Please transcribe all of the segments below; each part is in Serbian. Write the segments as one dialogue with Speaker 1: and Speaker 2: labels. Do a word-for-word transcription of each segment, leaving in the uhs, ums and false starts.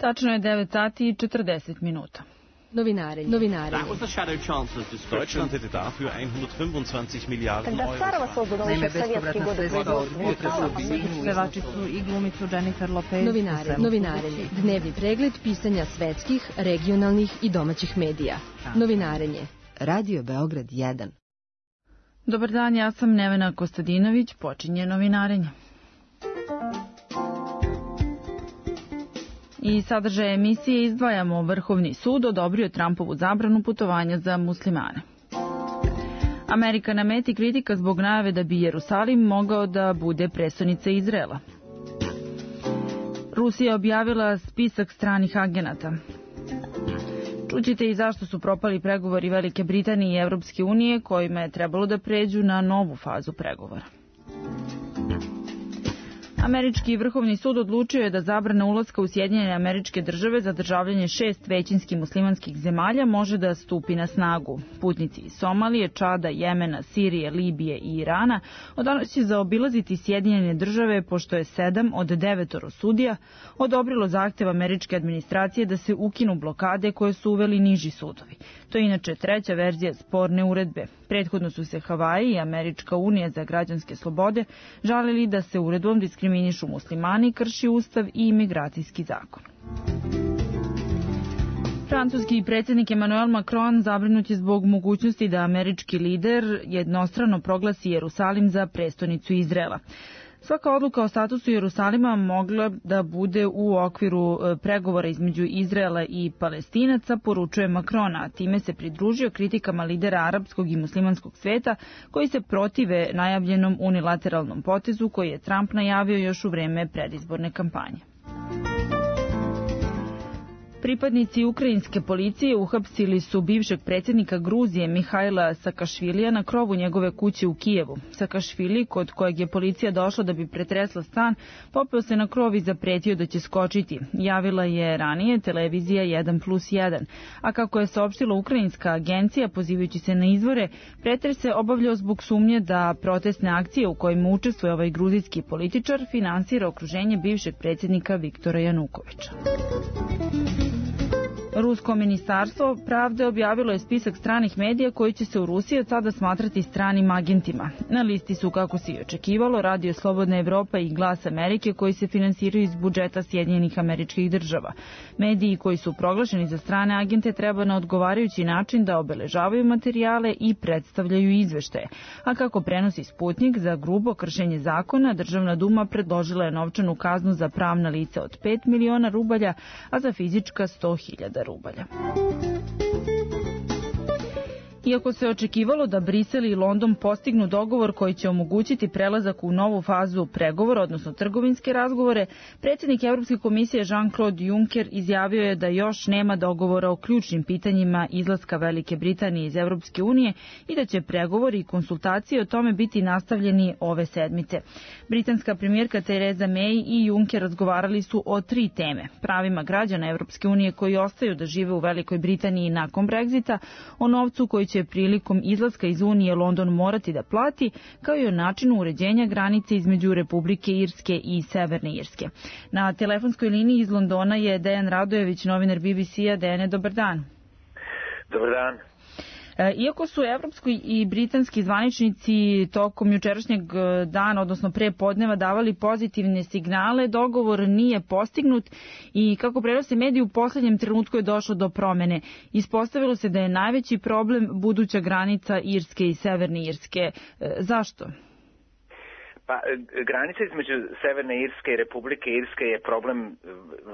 Speaker 1: Tačno je devet sati i četrdeset minuta.
Speaker 2: Novinarenje. Novinarenje.
Speaker 3: Deutschland hätte dafür hundertfünfundzwanzig Milliarden
Speaker 4: Когда Царова создана еще в советские годы.
Speaker 1: Pevačicu i glumicu Jennifer Lopez.
Speaker 2: Novinarenje. Novinarenje. Dnevni pregled pisanja svetskih, regionalnih i domaćih medija. Novinarenje. Radio Beograd jedan.
Speaker 1: Dobar dan, ja sam Nevena Kostadinović, počinje Novinarenje. I sadržaj emisije izdvajamo: Vrhovni sud odobrio Trumpovu zabranu putovanja za muslimane. Amerika na meti kritika zbog najave da bi Jerusalim mogao da bude prestonica Izraela. Rusija objavila spisak stranih agenata. Čućete i zašto su propali pregovori Velike Britanije i Evropske unije, kojima je trebalo da pređu na novu fazu pregovora. Američki vrhovni sud odlučio je da zabrana ulaska u Sjedinjene Američke Države za državljanje šest većinski muslimanskih zemalja može da stupi na snagu. Putnici iz Somalije, Čada, Jemena, Sirije, Libije i Irana od danas će zaobilaziti Sjedinjene Države, pošto je sedam od devetoro sudija odobrilo zahtev američke administracije da se ukinu blokade koje su uveli niži sudovi. To je inače treća verzija sporne uredbe. Prethodno su se Havaji i Američka unija za građanske slobode žalili da se uredbom diskriminišu muslimani, krši ustav i imigracijski zakon. Francuski predsjednik Emmanuel Macron zabrinut je zbog mogućnosti da američki lider jednostrano proglasi Jerusalim za prestonicu Izraela. Svaka odluka o statusu Jerusalima mogla da bude u okviru pregovora između Izraela i Palestinaca, poručuje Macron, a time se pridružio kritikama lidera arapskog i muslimanskog sveta koji se protive najavljenom unilateralnom potezu koji je Trump najavio još u vreme predizborne kampanje. Pripadnici ukrajinske policije uhapsili su bivšeg predsjednika Gruzije Mihajla Sakašvilija na krovu njegove kuće u Kijevu. Sakašvili, kod kojeg je policija došla da bi pretresla stan, popeo se na krov i zapretio da će skočiti. Javila je ranije televizija jedan plus jedan. A kako je saopštila ukrajinska agencija, pozivajući se na izvore, pretres se obavljao zbog sumnje da protestne akcije u kojima učestvuje ovaj gruzijski političar finansira okruženje bivšeg predsjednika Viktora Janukovića. Rusko ministarstvo pravde objavilo je spisak stranih medija koji će se u Rusiji od sada smatrati stranim agentima. Na listi su, kako se i očekivalo, Radio Slobodna Evropa i Glas Amerike, koji se finansiraju iz budžeta Sjedinjenih Američkih Država. Mediji koji su proglašeni za strane agente treba na odgovarajući način da obeležavaju materijale i predstavljaju izveštaje. A kako prenosi Sputnik, za grubo kršenje zakona, Državna duma predložila je novčanu kaznu za pravna lica od pet miliona rubalja, a za fizička sto hiljada rubalja. Iako se očekivalo da Brisel i London postignu dogovor koji će omogućiti prelazak u novu fazu pregovora, odnosno trgovinske razgovore, predsjednik Evropske komisije Jean-Claude Juncker izjavio je da još nema dogovora o ključnim pitanjima izlaska Velike Britanije iz Evropske unije i da će pregovori i konsultacije o tome biti nastavljeni ove sedmice. Britanska premijerka Theresa May i Juncker razgovarali su o tri teme: pravima građana Evropske unije koji ostaju da žive u Velikoj Britaniji nakon Brexita, o novcu koji će prilikom izlaska iz Unije London morati da plati, kao i o načinu uređenja granice između Republike Irske i Severne Irske. Na telefonskoj liniji iz Londona je Dejan Radojević, novinar B B C-a. Dejane, dobar dan.
Speaker 5: Dobar dan.
Speaker 1: Iako su evropski i britanski zvaničnici tokom jučerašnjeg dana, odnosno pre podneva, davali pozitivne signale, dogovor nije postignut i, kako prenose mediji, u poslednjem trenutku je došlo do promene. Ispostavilo se da je najveći problem buduća granica Irske i Severne Irske. Zašto?
Speaker 5: Pa, granica između Severne Irske i Republike Irske je problem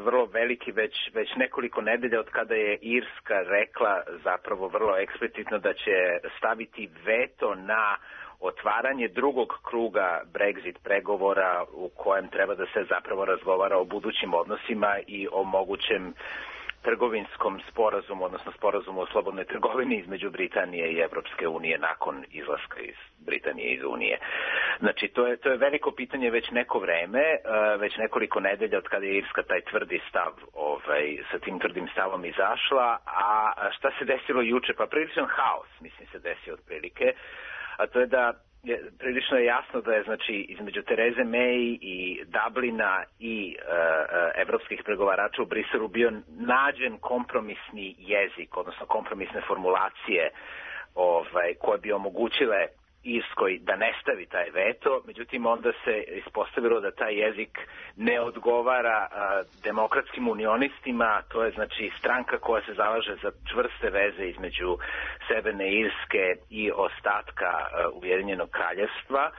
Speaker 5: vrlo veliki već, već nekoliko nedelja od kada je Irska rekla zapravo vrlo eksplicitno da će staviti veto na otvaranje drugog kruga Brexit pregovora u kojem treba da se zapravo razgovara o budućim odnosima i o mogućem trgovinskom sporazumu, odnosno sporazumu o slobodnoj trgovini između Britanije i Evropske unije nakon izlaska iz Britanije iz Unije. Znači, to je, to je veliko pitanje već neko vreme, već nekoliko nedelja od kada je Irska taj tvrdi stav, ovaj, sa tim tvrdim stavom izašla, a šta se desilo juče? Pa priličan haos, mislim, se desio otprilike, a to je da je, prilično je jasno da je znači između Tereze May i Dublina i uh, uh, evropskih pregovarača u Briselu bio nađen kompromisni jezik, odnosno kompromisne formulacije ovaj, koje bi omogućile Irskoj da ne stavi taj veto, međutim onda se ispostavilo da taj jezik ne odgovara a, demokratskim unionistima, to je znači stranka koja se zalaže za čvrste veze između Severne Irske i ostatka a, Ujedinjenog kraljevstva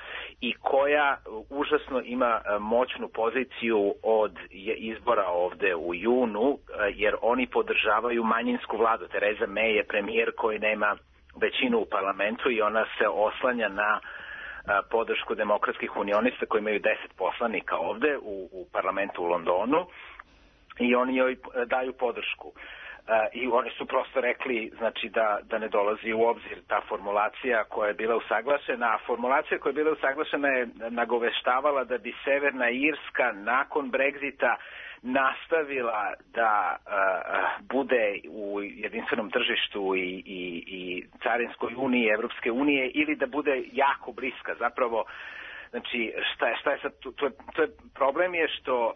Speaker 5: i koja užasno ima a, moćnu poziciju od izbora ovde u junu, a, jer oni podržavaju manjinsku vladu. Tereza May je premijer koji nema većinu u parlamentu i ona se oslanja na a, podršku demokratskih unionista koji imaju deset poslanika ovde u, u parlamentu u Londonu i oni joj daju podršku. A, I oni su prosto rekli znači da, da ne dolazi u obzir ta formulacija koja je bila usaglašena, a formulacija koja je bila usaglašena je nagoveštavala da bi Severna Irska nakon Brexita nastavila da uh, bude u jedinstvenom tržištu i, i, i carinskoj uniji, Evropske unije ili da bude jako bliska. Zapravo, znači, šta je, šta je sad, to je, to je problem je što uh,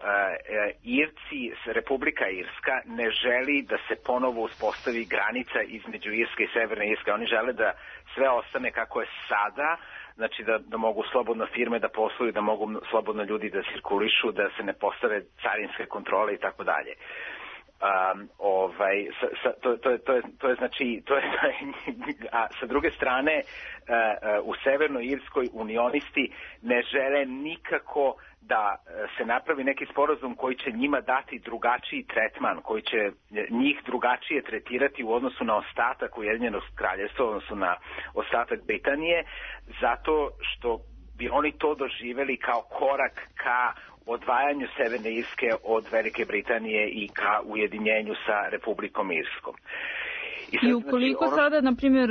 Speaker 5: Irci, Republika Irska ne želi da se ponovo uspostavi granica između Irske i Severne Irske. Oni žele da sve ostane kako je sada, znači da, da mogu slobodno firme da posluju, da mogu slobodno ljudi da cirkulišu, da se ne postave carinske kontrole i tako dalje. Um, ovaj, sa, sa, to, to, je, to, je, to je znači, to je, a sa druge strane uh, uh, u Severnoj Irskoj unionisti ne žele nikako da se napravi neki sporazum koji će njima dati drugačiji tretman, koji će njih drugačije tretirati u odnosu na ostatak Ujedinjenog kraljevstva, odnosno na ostatak Britanije, zato što bi oni to doživeli kao korak ka odvajanju Severne Irske od Velike Britanije i ka ujedinjenju sa Republikom Irskom.
Speaker 1: I, sad, I ukoliko znači, ono... sada, na primjer,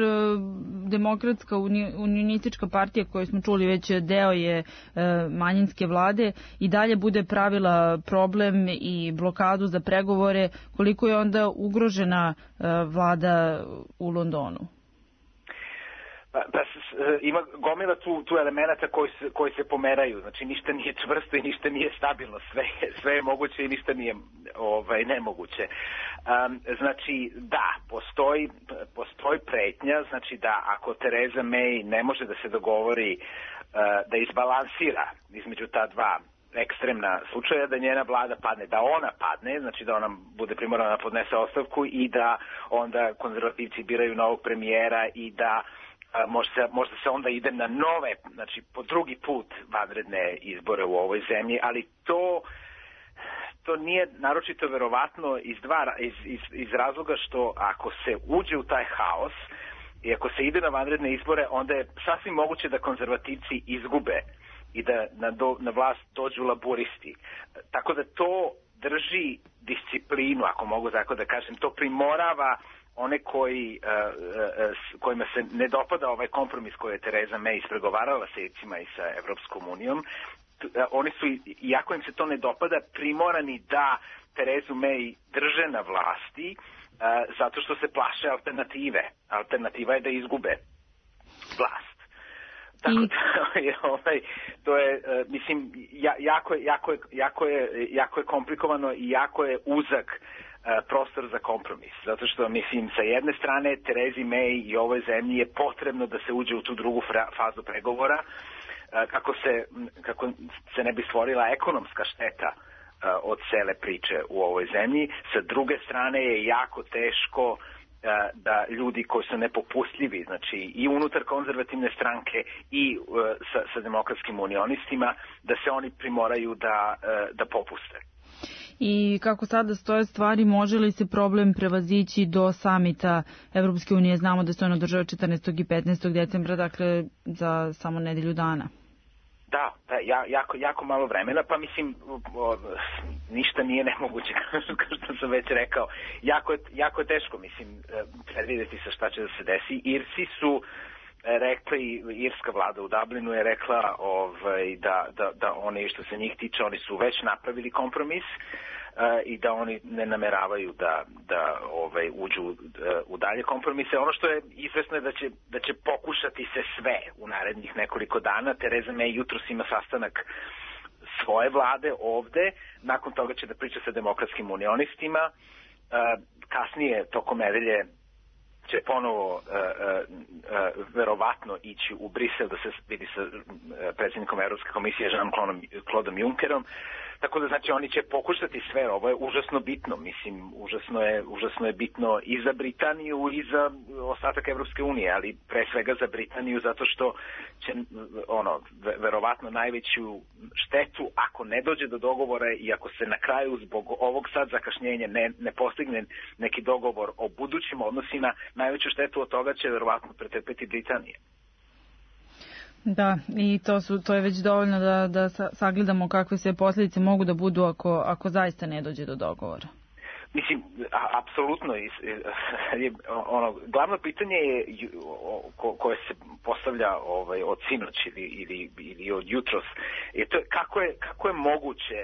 Speaker 1: demokratska unionistička partija koju smo čuli već deo je e, manjinske vlade i dalje bude pravila problem i blokadu za pregovore, koliko je onda ugrožena e, vlada u Londonu?
Speaker 5: Pa, pa ima gomila tu, tu elemenata koji se, koji se pomeraju, znači ništa nije čvrsto i ništa nije stabilno, sve, sve je moguće i ništa nije ovaj, nemoguće. Um, znači da, postoji, postoji pretnja, znači da ako Tereza May ne može da se dogovori uh, da izbalansira između ta dva ekstremna slučaja, da njena vlada padne, da ona padne, znači da ona bude primorana da podnese ostavku i da onda konzervativci biraju novog premijera i da a, možda, se, možda se onda ide na nove, znači po drugi put vanredne izbore u ovoj zemlji, ali to to nije naročito verovatno iz, dva, iz, iz, iz razloga što ako se uđe u taj haos i ako se ide na vanredne izbore, onda je sasvim moguće da konzervativci izgube i da na, do, na vlast dođu laburisti. Tako da to drži disciplinu, ako mogu tako da kažem, to primorava one koji, uh, uh, kojima se ne dopada ovaj kompromis koji je Tereza May ispregovarala sa Ircima i sa Evropskom unijom. Uh, oni su, iako im se to ne dopada, primorani da Terezu May drže na vlasti uh, zato što se plaše alternative. Alternativa je da izgube vlast. Tako da je, ovaj, to je, uh, mislim, ja, jako, je, jako, je, jako, je, jako je komplikovano i jako je uzak uh, prostor za kompromis. Zato što, mislim, sa jedne strane Terezi May i ovoj zemlji je potrebno da se uđe u tu drugu fazu pregovora uh, kako, se, kako se ne bi stvorila ekonomska šteta uh, od cele priče u ovoj zemlji. Sa druge strane je jako teško da ljudi koji su nepopustljivi, znači i unutar konzervativne stranke i uh, sa, sa demokratskim unionistima, da se oni primoraju da, uh, da popuste.
Speaker 1: I kako sada stoje stvari, može li se problem prevazići do samita Evropske unije? Znamo da se on održava četrnaestog i petnaestog decembra, dakle za samo nedelju dana.
Speaker 5: Da, da ja, jako, jako malo vremena, pa mislim, o, ništa nije nemoguće, kao što sam već rekao. Jako je, jako je teško, mislim, predvidjeti sa šta će da se desi. Irci su rekli, irska vlada u Dublinu je rekla ovaj, da, da, da oni, što se njih tiče, oni su već napravili kompromis. i da oni ne nameravaju da, da ovaj, uđu uh, u dalje kompromise. Ono što je izvesno je da će, da će pokušati se sve u narednih nekoliko dana. Tereza May jutros ima sastanak svoje vlade ovde, nakon toga će da priča sa demokratskim unionistima, uh, kasnije tokom nedelje će ponovo uh, uh, uh, verovatno ići u Brisel da se vidi sa uh, predsjednikom Evropske komisije Jean-Claude Junckerom. Tako da znači oni će pokušati sve, ovo je užasno bitno, mislim, užasno je, užasno je bitno i za Britaniju i za ostatak Evropske unije, ali pre svega za Britaniju zato što će ono, verovatno najveću štetu ako ne dođe do dogovora i ako se na kraju zbog ovog sad zakašnjenja ne, ne postigne neki dogovor o budućim odnosima, najveću štetu od toga će verovatno pretrpeti Britanija.
Speaker 1: Da, i to, su, to je već dovoljno da, da sagledamo kakve sve posljedice mogu da budu ako, ako zaista ne dođe do dogovora.
Speaker 5: Mislim, a, apsolutno. Ono, glavno pitanje je ko, koje se postavlja ovaj, od sinoć ili, ili, ili od jutros je to kako je, kako je moguće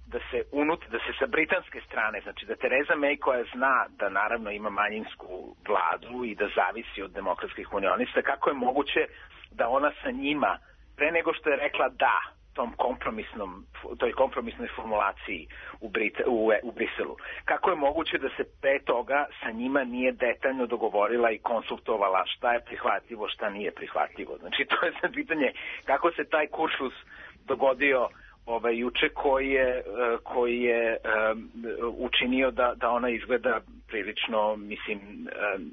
Speaker 5: da se unut, da se sa britanske strane, znači da Tereza May koja zna da naravno ima manjinsku vladu i da zavisi od demokratskih unionista, kako je moguće da ona sa njima, pre nego što je rekla da tom kompromisnom, toj kompromisnoj formulaciji u, Brit, u, u Briselu, kako je moguće da se pre toga sa njima nije detaljno dogovorila i konsultovala šta je prihvatljivo, šta nije prihvatljivo. Znači to je sad pitanje kako se taj kuršlus dogodio ovaj, juče koji je, koji je um, učinio da, da ona izgleda prilično, mislim, um,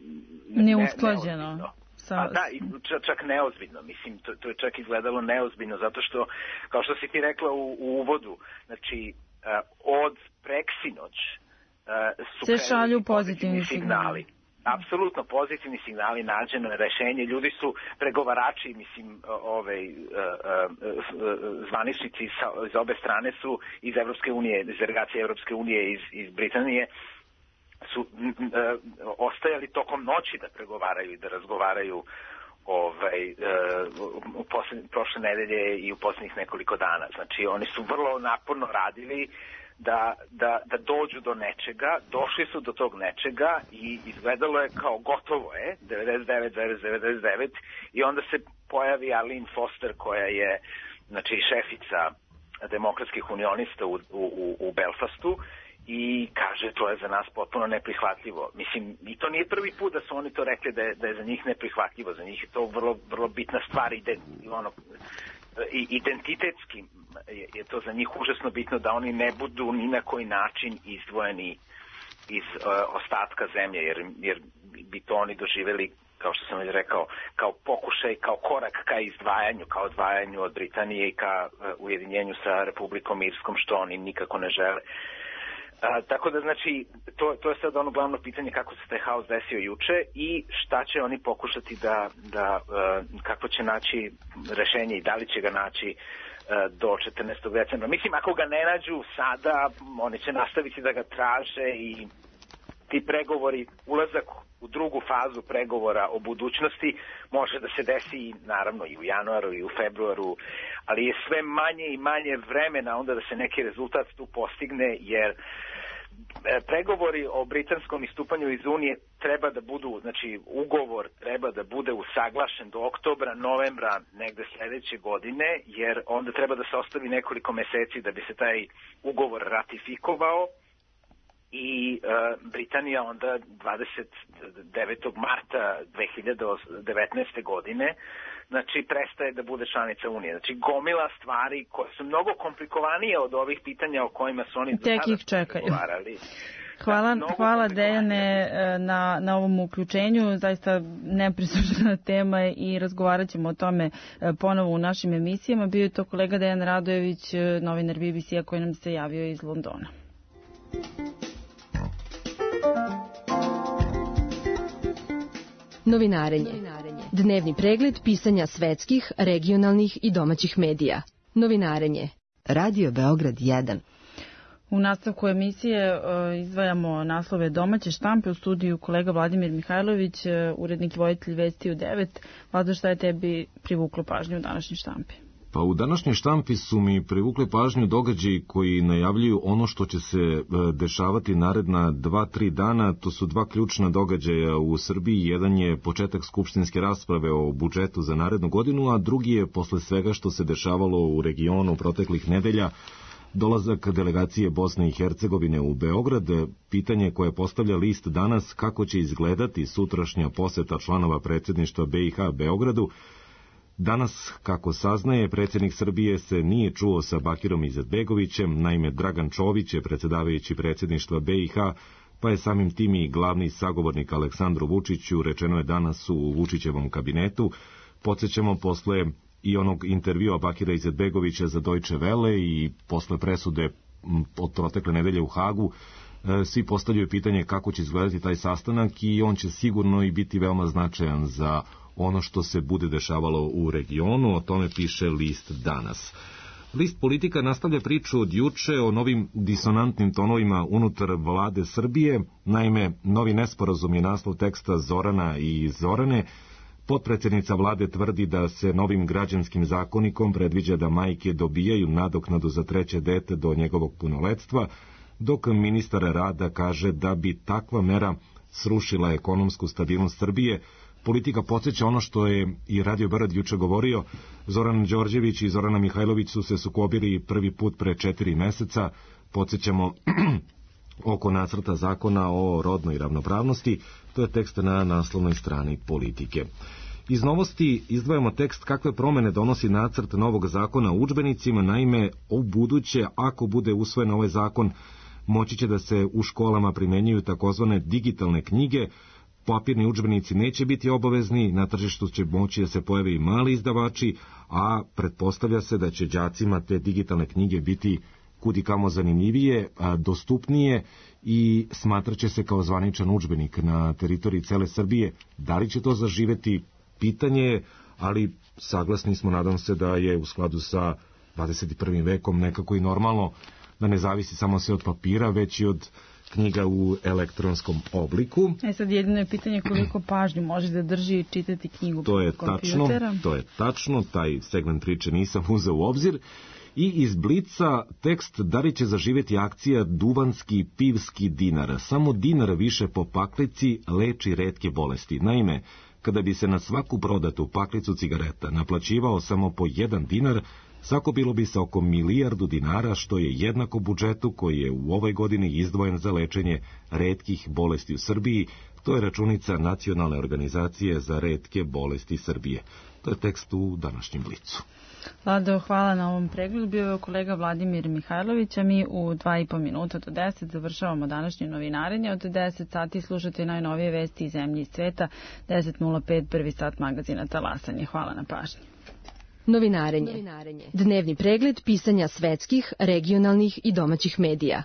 Speaker 1: neusklađeno.
Speaker 5: Ne, A da, i čak neozbiljno, mislim, to, to je čak izgledalo neozbiljno, zato što, kao što si ti rekla u, u uvodu, znači, uh, od preksinoć uh, su
Speaker 1: se šalju pozitivni signali.
Speaker 5: Apsolutno pozitivni signali, nađeno je rešenje, ljudi su pregovarači, mislim, ove uh, uh, zvaničnici sa, iz obe strane su iz Evropske unije, iz delegacije Evropske unije, iz, iz Britanije, su e, ostajali tokom noći da pregovaraju i da razgovaraju ovaj, e, u posljednje, prošle nedelje i u posljednjih nekoliko dana. Znači oni su vrlo naporno radili da, da, da dođu do nečega, došli su do tog nečega i izgledalo je kao gotovo je, devedeset devet zarez devedeset devet, i onda se pojavi Arlene Foster koja je znači šefica demokratskih unionista u, u, u Belfastu i kaže to je za nas potpuno neprihvatljivo. Mislim, i to nije prvi put da su oni to rekli da je, da je za njih neprihvatljivo. Za njih je to vrlo, vrlo bitna stvar i ono, identitetski je, je to za njih užasno bitno da oni ne budu ni na koji način izdvojeni iz uh, ostatka zemlje, jer, jer bi to oni doživjeli, kao što sam već rekao, kao pokušaj, kao korak ka izdvajanju, kao odvajanju od Britanije i ka uh, ujedinjenju sa Republikom Irskom, što oni nikako ne žele. A, tako da, znači, to, to je sad ono glavno pitanje kako se taj haos desio juče i šta će oni pokušati da, da uh, kako će naći rešenje i da li će ga naći uh, do četrnaestog decembra. Mislim, ako ga ne nađu sada, oni će nastaviti da ga traže i ti pregovori, ulazak u drugu fazu pregovora o budućnosti može da se desi naravno i u januaru i u februaru, ali je sve manje i manje vremena onda da se neki rezultat tu postigne, jer pregovori o britanskom istupanju iz Unije treba da budu, znači ugovor treba da bude usaglašen do oktobra, novembra negde sledeće godine, jer onda treba da se ostavi nekoliko meseci da bi se taj ugovor ratifikovao i uh, Britanija onda dvadeset devetog marta dve hiljade devetnaeste. godine znači prestaje da bude članica Unije. Znači gomila stvari koje su mnogo komplikovanije od ovih pitanja o kojima su oni do sada pregovarali.
Speaker 1: Hvala, da, hvala Dejane na, na ovom uključenju, zaista neprisuštena tema i razgovarat ćemo o tome ponovo u našim emisijama. Bio je to kolega Dejan Radojević, novinar B B C-a koji nam se javio iz Londona.
Speaker 2: Novinarenje. Dnevni pregled pisanja svetskih, regionalnih i domaćih medija. Novinarenje. Radio Beograd jedan.
Speaker 1: U nastavku emisije izdvajamo naslove domaće štampe. U studiju kolega Vladimir Mihajlović, urednik i voditelj Vesti u devet. Vlado, šta je tebi privuklo pažnju u današnjoj štampi?
Speaker 6: Pa u današnjoj štampi su mi privukli pažnju događaji koji najavljuju ono što će se dešavati naredna dva, tri dana. To su dva ključna događaja u Srbiji. Jedan je početak skupštinske rasprave o budžetu za narednu godinu, a drugi je posle svega što se dešavalo u regionu proteklih nedelja dolazak delegacije Bosne i Hercegovine u Beograd. Pitanje koje postavlja list danas kako će izgledati sutrašnja poseta članova predsjedništva B i H Beogradu. Danas, kako saznaje, predsjednik Srbije se nije čuo sa Bakirom Izetbegovićem, naime Dragan Čović je predsjedavajući predsjedništva B i H, pa je samim tim i glavni sagovornik Aleksandru Vučiću, rečeno je danas u Vučićevom kabinetu. Podsjećamo posle i onog intervjua Bakira Izetbegovića za Deutsche Welle i posle presude od protekle nedelje u Hagu, svi postavljaju pitanje kako će izgledati taj sastanak i on će sigurno i biti veoma značajan za ono što se bude dešavalo u regionu. O tome piše list danas. List Politika nastavlja priču od juče o novim disonantnim tonovima unutar vlade Srbije. Naime, novi nesporazum je naslov teksta Zorana i Zorane. Potpredsjednica vlade tvrdi da se novim građanskim zakonikom predviđa da majke dobijaju nadoknadu za treće dete do njegovog punoletstva, dok ministar rada kaže da bi takva mera srušila ekonomsku stabilnost Srbije. Politika podsjeća ono što je i Radio Beograd juče govorio. Zoran Đorđević i Zorana Mihajlović su se sukobili prvi put pre četiri meseca. Podsjećamo oko nacrta zakona o rodnoj ravnopravnosti. To je tekst na naslovnoj strani Politike. Iz novosti izdvajamo tekst kakve promene donosi nacrt novog zakona o udžbenicima. Naime, u buduće, ako bude usvojen ovaj zakon, moći će da se u školama primenjuju takozvane digitalne knjige. Papirni udžbenici neće biti obavezni, na tržištu će moći da se pojave i mali izdavači, a pretpostavlja se da će đacima te digitalne knjige biti kudikamo zanimljivije, dostupnije i smatraće se kao zvaničan udžbenik na teritoriji cele Srbije. Da li će to zaživeti? Pitanje je, ali saglasni smo, nadam se, da je u skladu sa dvadeset prvim vekom nekako i normalno, da ne zavisi samo sve od papira, već i od knjiga u elektronskom obliku.
Speaker 1: E sad jedino je pitanje koliko pažnju može da drži i čitati knjigu
Speaker 6: to je
Speaker 1: kompjutera.
Speaker 6: Tačno, to je tačno, taj segment priče nisam uzeo u obzir. I iz Blica tekst da li će zaživjeti akcija Duvanski pivski dinar. Samo dinar više po paklici leči retke bolesti. Naime, kada bi se na svaku prodatu paklicu cigareta naplaćivao samo po jedan dinar, sakupilo bi se oko milijardu dinara, što je jednako budžetu koji je u ovoj godini izdvojen za lečenje retkih bolesti u Srbiji. To je računica Nacionalne organizacije za retke bolesti Srbije. To je tekst u današnjem Blicu.
Speaker 1: Vlado, hvala na ovom pregledu. Bio je kolega Vladimir Mihajlović, a mi u dva i po minuta do deset završavamo današnje novinarenje. Od deset sati slušate najnovije vesti iz zemlje i sveta. deset nula pet, prvi sat magazina Talasanje. Hvala na pažnji.
Speaker 2: Novinarenje. Dnevni pregled pisanja svetskih, regionalnih i domaćih medija.